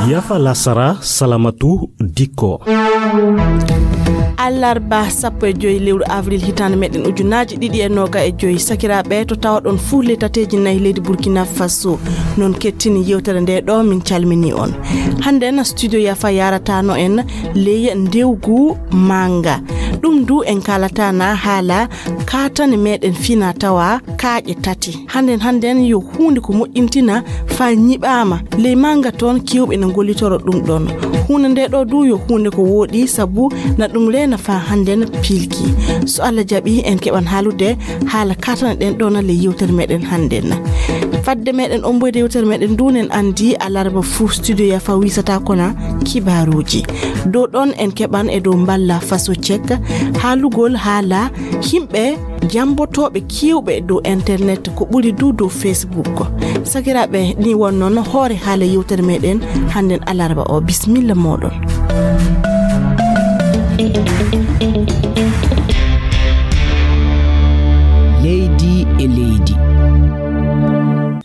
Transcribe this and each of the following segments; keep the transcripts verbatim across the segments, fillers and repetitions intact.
Yafa lasara, Salamatu Dikko. Allarba sappo e joyi lewru avril hitaande meɗen ujunaaji ɗiɗi e nooga e joyi. Sakiraaɓe, to tawaɗon fuu ley tateeji nayi leydi Burkina Faso, non kettini yewtere nde ɗo, min calmini on. Hannde na studio Yafa yarataano en ley ndewgu manga. Ɗum du en kaalataana haala kaatane meɗen fina tawa kaaƴe tati. Hannden, hannden yo huunde ko moƴƴintina faa ñiɓaama. Ley manga toon, keewɓe na ngollitoro ɗum ɗoon. Huunde nde ɗo du yo huunde ko wooɗi, sabu na ɗum reena faa hannden piilki. So Allah jaɓi, en keɓan haalude haala kaatane ɗen ɗoon ley yewtere meɗen hannden. Fadde meɗen omboyde yewtere meɗen ndu, en anndi alarba fuu studio Yafa wisata kona kibaaruuji. Dow ɗoon en keɓan e dow mballa Faso Cek haalugol haala yimɓe jammbotooɓe keewɓe dow internet, ko ɓuri du dow Facebook. Sakiraaɓe, ni won noon hoore haala yewtere meɗen hannden alarba o. Bisimilla mooɗon. Leydi e leydi.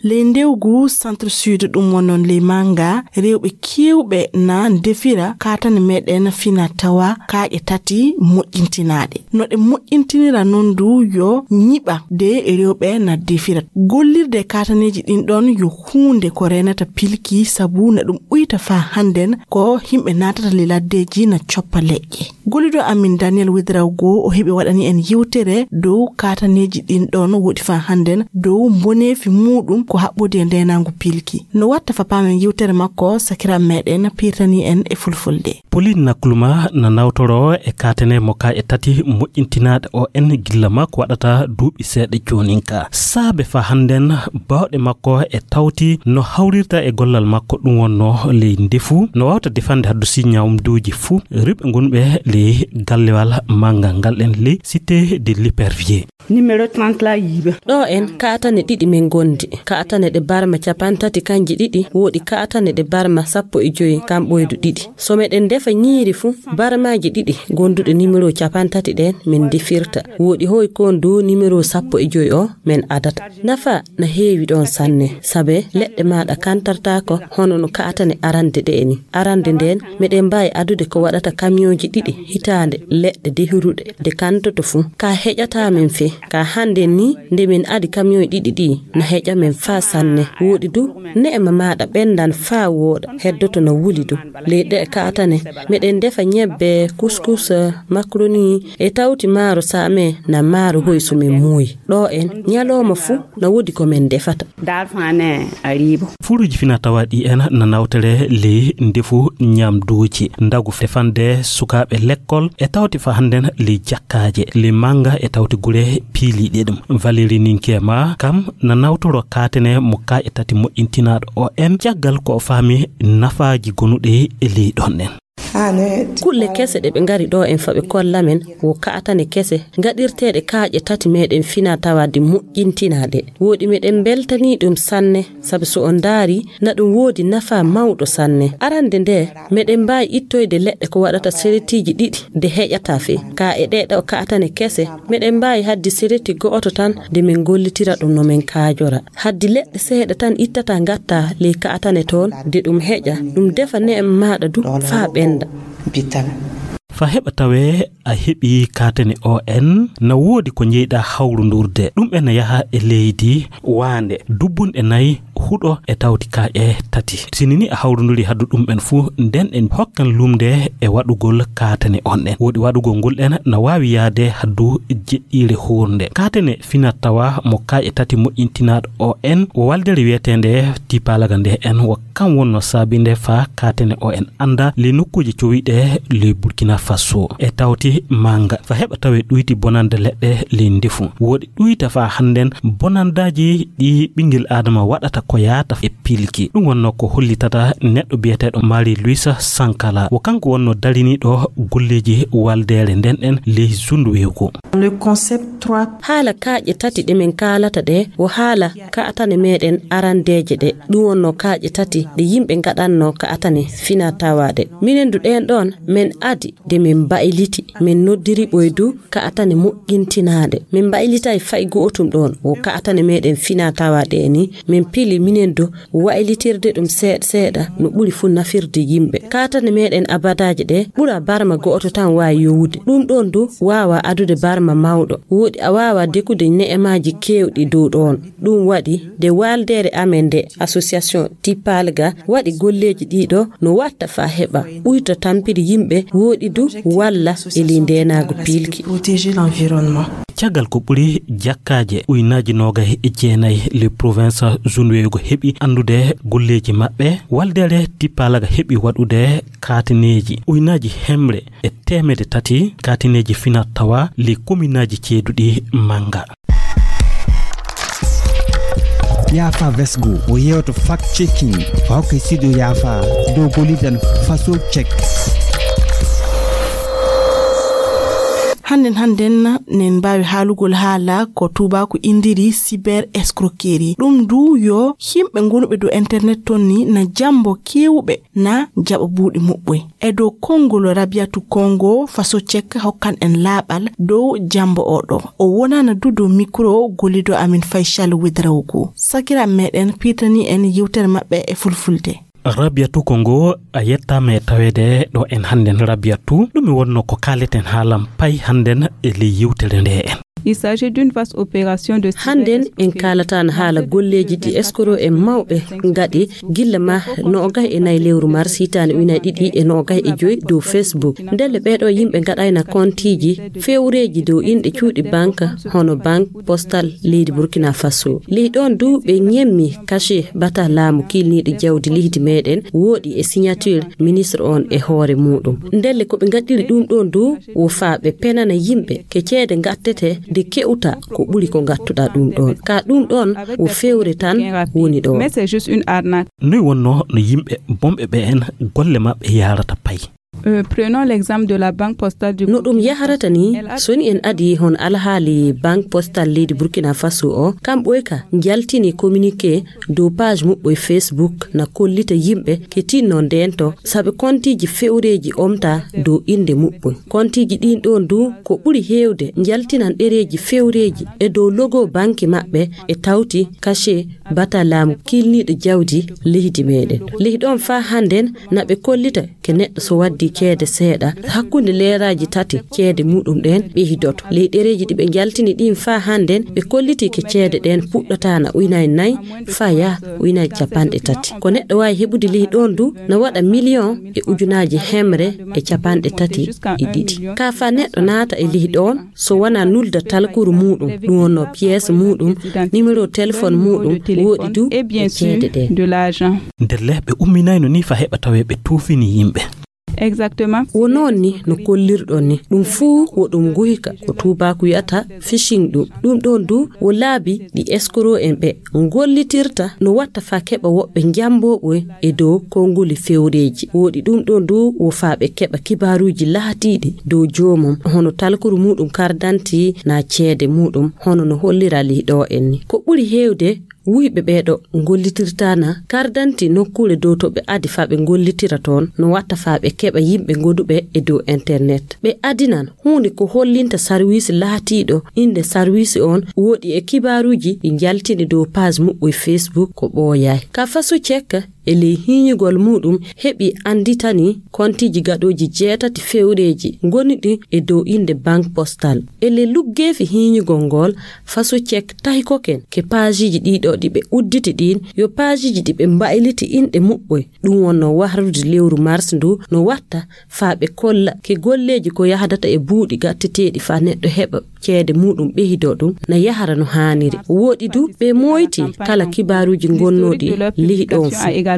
Ley ndewgu Centre Sud, ɗum won noon ley manga, rewɓe keewɓe na ndefira kaatane meɗen fina tawa kaaƴe tati moƴƴintinaaɗe. No ɗe moƴƴintinira noon du yo ñiɓa de rewɓe na defira. Gollirde kaataneeji ɗin ɗoon yo huunde ko reenata pilki, sabu na ɗum uyta faa hannden ko yimɓe naatata ley laddeeji na coppa leƴƴe. Gollido amin Daniel Wedraogo o heɓi waɗani en yewtere dow kaataneeji ɗin ɗoon woɗi faa hannden dow mboneefi muuɗum ko haɓɓodi e ndeenaangu pilki. No watta fa paamen yewtere makko, sakiraaɓe meɗen piirtani en e fulfulde. Pauline Nakluma na nawtoro e kaatane mo kaaƴe tati moƴƴintinaaɗe O N gilla makko waɗata duuɓi seeɗa joonin ka. Saabe faa hannden baawɗe makko e tawti no hawrirta e gollal makko ɗum wonno ley ndefu, no waawta defande haddu si ñaamduuji fuu, rewɓe gonɓe ley gallewal manngal ngal ɗen ley Cité de l'Épervier. Numéro trente la yiiɓe. Ɗo en kaatane ɗiɗi men ngondi. Kaatane ɗe barma capantati kanji ɗiɗi, woodi kaatane ɗe barma sappo e joyi kam ɓoydu ɗiɗi. So meɗen defa ñiiri fu, barmaaji ɗiɗi gonduɗe numéro capantati ɗen men defirta. Woodi hoy kon du numéro sappo e joyi o men adata. Nafa na heewi ɗon sanne, sabe leɗɗe maaɗa kantartaako hono no kaatane arande ɗe ni. Arande nden, meɗen mbaawi adude ko waɗata kamiyonji ɗiɗi hitaande leɗɗe dehiruɗe ɗe kantoto fu. Ka heƴataa men fee. Ka hannden ni, nde men adi kamiyoy ɗiɗi ɗi, na heƴa men faa sanne. Wooɗi du, ne'ema maaɗa ɓenndan faa wooɗa, heddoto na wuli du. Ley ɗe'e kaatane, meɗen defa ñebbe, kuskus, makaroni, e tawti maaro saame, na maaro hoysu men muuyi. Ɗo en, ñalooma fuu, na woodi ko men defata. Daal fane a riibo. Fuuruuji fina tawa ɗi en na nawtere ley ndefu ñaamduuji, ndagu defande sukaaɓe lekkol, e tawti fa hannden ley jakkaaje, ley mannga e tawti gure piiliiɗe ɗum. Valérie Ninkema kam na nawtoro kaatane mo kaaƴe tati moƴƴintinaaɗo O N, caggal ko o faami nafaaji gonuɗe e ley ɗon ɗen. Kulle kese ɗe ɓe ngari ɗo en fa ɓe kolla men wo kaatane kese gaɗirteeɗe kaaƴe tati meɗen fina tawa de moƴƴintinaaɗe. Wooɗi meɗen mbeltanii ɗum sanne, sabu so on ndaari, na ɗum woodi nafaa mawɗo sanne. Arande nde, meɗen mbaawi ittoyde leɗɗe ko waɗata seretiiji ɗiɗi de heƴataa fee. Ka e ɗee ɗo kaatane kese, meɗen mbaawi haddi sereti go'oto tan de men gollitira ɗum no men kaajora. Haddi leɗɗe seeɗa tan ittata ngatta ley kaatane toon, de ɗum heƴa, ɗum defa ne'em maaɗa du faa ɓennda. Fa heɓa tawee a heɓii kaatane O N, na woodi ko njeyɗaa hawrundurde. Ɗum en na yaha e leydi waande, dubbunɗe nayi, huɗo e tawti kaaƴe tati. Sini ni a hawrunduri haddu ɗum en fuu, nden en hokkan lumde e waɗugol kaatane on ɗen. Woodi waɗugol ngol ɗen na waawi yaade haddu jeɗɗiire huurnde. Kaatane fina tawa mo kaaƴe tati moƴƴintinaaɗo O N, o waldere wiyeteende Tipalaga nde en wo kam wonno saabinde faa kaatane O N annda ley nokkuuje cowiɗe ley Burkina Faso e tawti mannga. Fa heɓa tawe ɗuyti bonande leɗɗe ley ndefu. Woodi ɗuyta faa hannden bonandaaji ɗi ɓinngel Aadama waɗata ko yaata e pilki. Ɗum wonno ko hollitata neɗɗo biyeteeɗo Marie Louise Sankala. Wo kanko wonno dariniiɗo golleeji waldeere nden ɗen ley zundu wewgo. Le concept trois. Haala kaaƴe tati ɗe men kaalata ɗe, wo haala kaatane meɗen arandeeje ɗe. Ɗum wonno kaaƴe tati ɗe yimɓe ngaɗanno kaatane fina tawa ɗe. Minen du ɗen ɗon, men adi de Min mbayliti, min noddiri ɓoydu kaatane moƴƴintinaade. Min mbaylitay fay gootum ɗoon. Wo kaatane meɗen fina tawa ɗe ni, min pili minen du waylitirde ɗum seeɗa seeɗa no ɓuri fuu nafirde yimɓe. Kaatane meɗen abadaaje ɗe ɓura barma gooto tan waawi yowude. Ɗum ɗoon du waawa adude barma mawɗo. Woɗi a waawa dekude ne'emaaji keewɗi dow ɗoon. Ɗum waɗi nde waaldeere amen nde, association Tipalga, waɗi golleeji ɗiɗo no watta faa heɓa ɓuyta tampiri yimɓe, woɗi du walla e ley ndeenaagu piilki. Protéger l'environnement. Caggal ko ɓuri jakkaaje uynaaji noogay e jeenay le province zunweyugo heɓi anndude golleeji maɓɓe, waaldeere Tipalga heɓi waɗude kaatineeji uynaaji hemre e teemedde tati kaatineeji fina tawa le kominaaji ceeduɗi mannga. Yaafa Vesgo o yewto fact checking o hokka studio Yaafa dow gollidan faso check. Hannden hannden nen mbaawi haalugol haala ko tuubaaku indiri cyber escroquerie. Ɗum du yo yimɓe gonuɓe dow internet ton ni na jambo keewuɓe na jaɓa buuɗi muɓɓoy. E dow konngol Rabiatu Kongo, Faso Cek hokkan en laaɓal dow jambo oɗo. O wonana du dow mikro gollido amin Faysal Wedraogo. Sakira meɗen piitani en yewtere maɓɓe e fulfulde. Rabiatu Kongo, a yettaama e taweede ɗo en hannden. Rabiatu, ɗum mi wonno ko kaaleten haalam pay hannden e ley yewtere nde en. Il s'agit d'une vaste opération de cyber-. Hannden en kaalatan haala golleeji ɗi escroc en mawɓe ngaɗi gilla ma noogay e nayi lewru mars hitaande ujunaaji ɗiɗi e noogay e joy dow Facebook. Ndelle ɓeeɗo yimɓe ngaɗayna kontiiji fewreeji dow inɗe cuuɗi banque hono Banque Postal leydi Burkina Faso. Ley ɗoon du ɓe ñemmi cachet bata laamu kiilniiɗo jawdi leydi meɗen woɗi e signature ministre on e hoore muɗum. Ndelle ko ɓe ngaɗiri ɗum ɗoon du wo faa ɓe penana yimɓe ke ceede ngattete nde ke'uta ko ɓuri ko ngattuɗa ɗum ɗoon. Ka ɗum ɗoon wo fewre tan woni ɗo. Mais c'est juste une arnaque. Noy wonno no yimɓe bonɓe ɓe en golle maɓɓe yahrata pay? Euh, prenons l'exemple de la Banque Postale du Burkina Faso. No ɗum yahrata ni, so ni en adi hon alhaali Banque Postale leydi Burkina Faso o, kam ɓoyka njaltini communiqué dow page muɓɓo e Facebook na kollita yimɓe ke tinno ndento sabe kontiiji fewreeji omta dow innde muɓɓo. Kontiiji ɗin ɗoon du ko ɓuri heewde njaltinan ɗereeji fewreeji e dow logo banki maɓɓe e tawti cachet bata laamu kiilniiɗo jawdi leydi meɗen. Ley ɗoon faa hannden na ɓe kollita ke neɗɗo so waddi ceede seeɗa, hakkunde leeraaji tati ceede muɗum ɗen ɓeydoto. Ley ɗereeji ɗi ɓe njaltini ɗin faa hannden ɓe kolliti ke ceede ɗen puɗɗata na ujunaaji nayi faa yaha ujunaaji capanɗe tati. Ko neɗɗo waawi heɓude ley ɗoon du na waɗa miliyon e ujunaaji hemre e capanɗe tati e ɗiɗi. Ka faa neɗɗo naata e ley ɗoon, so wonaa nulda talkuru muɗum, ɗum wonno pièce muɗum, numéro téléphone muɗum, woɗi du e ceede ɗe. Ndelle ɓe umminayno ni faa heɓa tawe ɓe tuufini yimɓe. Exactement. Wo noon ni no kollirɗon ni. Ɗum fuu wo ɗum nguyka ko tuubaaku wiyata phishing ɗum. Ɗum ɗoon du wo laabi ɗi escroc en ɓe ngollitirta no watta faa keɓa woɓɓe njamboɓe e dow konnguli fewreeji. Woɗi ɗum ɗoon du wo faa ɓe keɓa kibaaruuji laatiiɗi dow joomum, hono talkuru muɗum kardanti na ceede muɗum, hono no hollira ley ɗo en ni. Ko ɓuri heewde wuyɓe ɓeeɗo ngollitirta na kardanti nokkuure dow to ɓe adi faa ɓe ngollitira toon, no watta faa ɓe keɓa yimɓe ngoduɓe e dow internet. Ɓe adinan huunde ko hollinta sarwiisi laatiiɗo innde sarwiisi on woɗi e kibaaruuji ɗi njaltini dow page muɓɓo e Facebook ko ɓooyaay. Ka Faso Cek e ley hiiñugol muɗum heɓi annditani kontiiji gaɗooji jeetati fewreeji ngoniɗi e dow innde Banque Postal. E ley luggeefi hiiñugol ngol, Faso Cek tahi koken ke paajiiji ɗiɗo ɗi ɓe udditi ɗin, yo paajiiji ɗi ɓe mbayliti inɗe muɓɓoy. Ɗum wonno wahrude lewru mars ndu no watta faa ɓe kolla ke golleeji ko yahdata e buuɗi gatteteeɗi faa neɗɗo heɓa ceede muɗum ɓeydoo ɗum na yahara no haaniri. Woɗi du ɓe mooyti kala kibaaruuji ngonnooɗi ley ɗoon fuu.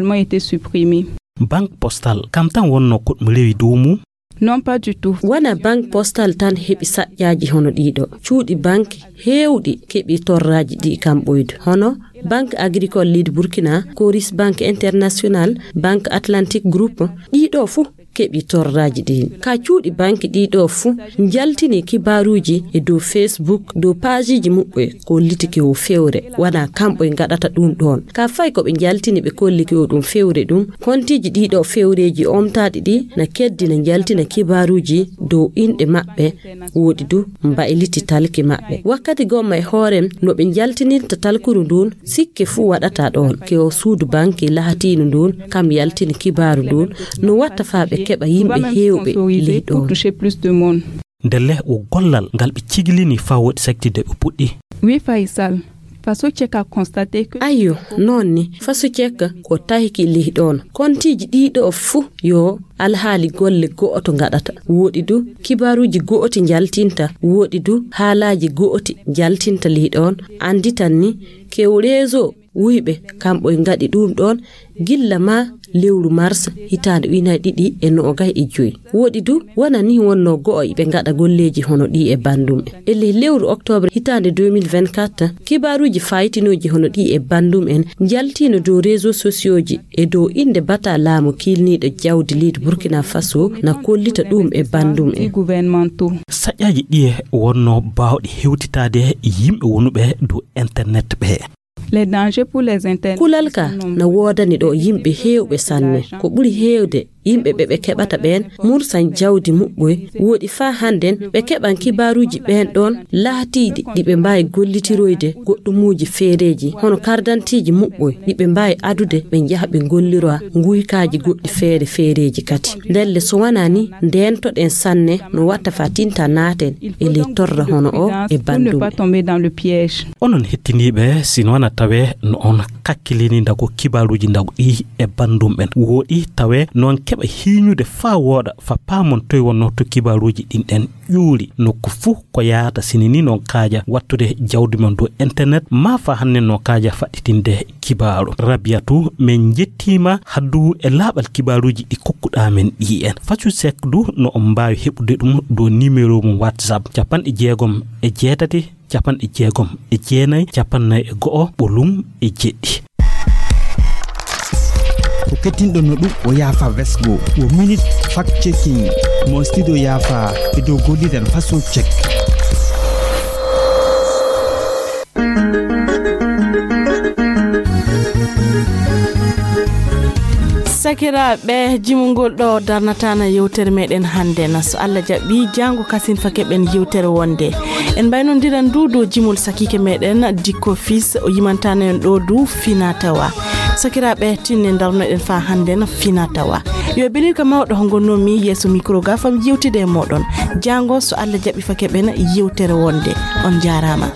Banque Postal kam tan wonno ko ɗum rewi dow mum. Non, pas du tout. Wona Banque Postal tan heɓi saƴƴaaji hono ɗiɗo. Cuuɗi banque heewɗi keɓi torraaji ɗi kam ɓoydu. Hono Banque Agricole leydi Burkina, Coris Banque International, Banque Atlantique Group, ɗiɗo fuu keɓi torraaji ɗin. Ka cuuɗi banki ɗii ɗoo fuu njaltini kibaaruuji e dow Facebook, dow paajiiji muɓɓe, ko holliti ko fewre. Wanaa kamɓe ngaɗata ɗum ɗoon. Ka fayi ko ɓe njaltini ɓe kolli ko ɗum fewre ɗum, kontiiji ɗii ɗoo fewreeji omtaaɗi ɗi na keddi na njaltina kibaaruuji dow inɗe maɓɓe, woɗi du mbayliti talki maɓɓe. Wakkati gomma e hoorem no ɓe njaltinirta talkuru ndun, sikke fuu waɗataa ɗoon. Ko suudu banki lahatiindu ndun, kam yaltini kibaaru ndun, no watta faa ɓe keɓa yimɓe heewɓe ley ɗoon. Ndelle wo gollal ngal ɓe cigilini faa woɗi saktidde ɓe puɗɗi. Oui, Faisal. Faso Check a constaté que Ayyo, noon ni, Faso Check ko tawki ley ɗoon. Kontiiji ɗii ɗoo fuu yo alhaali golle go'oto ngaɗata. Woɗi du, kibaaruuji go'oti njaltinta. Woɗi du, haalaaji go'oti njaltinta ley ɗoon. Annditan ni, ko réseau wuyɓe, kamɓe ngaɗi ɗum ɗoon gilla maa lewru mars hitaande ujunaaji ɗiɗi e noogay e joy. Woɗi du, wona ni wonnoo go'o iɓe ngaɗa golleeji hono ɗii e banndum en. E ley lewru oktoobre hitaande deux mille vingt-quatre, kibaaruuji faayitinooji hono ɗii e banndum en njaltiino dow réseaux sociauxji e dow innde bata laamu kiilniiɗo jawdi leydi Burkina Faso na kollita ɗum e banndum en. Saƴaaji ɗiye wonnoo baawɗi hewtitaade yimɓe wonuɓe dow internet ɓe. Les dangers pour les internet. Kulal ka na woodani ɗo yimɓe heewɓe sanne. Ko ɓuri heewde yimɓe ɓe ɓe keɓata ɓeen mursan jawdi muɓɓoy. Woɗi faa hannden ɓe keɓan kibaaruuji ɓeen ɗoon laatiiɗi ɗi ɓe mbaawi gollitiroyde goɗɗumuuji feereeji, hono kardantiiji muɓɓoy ɗi ɓe mbaawi adude ɓe njaha ɓe ngolliroo nguykaaji goɗɗi feere feereeji kadi. Ndelle so wanaa ni ndeentoɗen sanne no watta faa tinta naaten e ley torra hono o e banndum en. Onon hettiniiɓe, si noon a tawee no on kakkilini ndago kibaaruuji ndago ɗi e banndum en, woɗi tawee noon keɓa hiiñude faa wooɗa, faa paamon toy wonnoo to kibaaruuji ɗin ɗen ƴuuri. Nokku fuu ko yaata sini ni noon kaaja wattude jawdi mon dow internet, maa faa hannden noon kaaja faɗɗitinde kibaaru. Rabiyatu, min njettiima haddu e laaɓal kibaaruuji ɗi kokkuɗaa men ɗi en. Faso Check du no on mbaawi heɓude ɗum dow numéro mum WhatsApp capanɗe jeegom e jeetati, capanɗe jeegom e jeenayi, capannay e go'o, ɓolum e jeɗɗi. Ko kettinɗon no ɗum o yaafa vesgo, wo minute fact checking mo studio yaafa e dow golliren Faso Check. Sakiraaɓe, jimungol ɗo darnataana yewtere meɗen hannde na. So Allah jaɓi, jaango kasin fa keɓen yewtere wonde. En mbaynondiran du dow jimol sakiike meɗen Dikko Fils, o yimantaana en ɗo du fina tawa. Sakiraaɓe, tinne darnoɗen fa hannde na fina tawa. Yo belirka mawɗo ho ngonnomi yeeso micro ga fam yewtide e moɗon. Jaango so Allah jaɓi fa keɓen yewtere wonde. On jaaraama.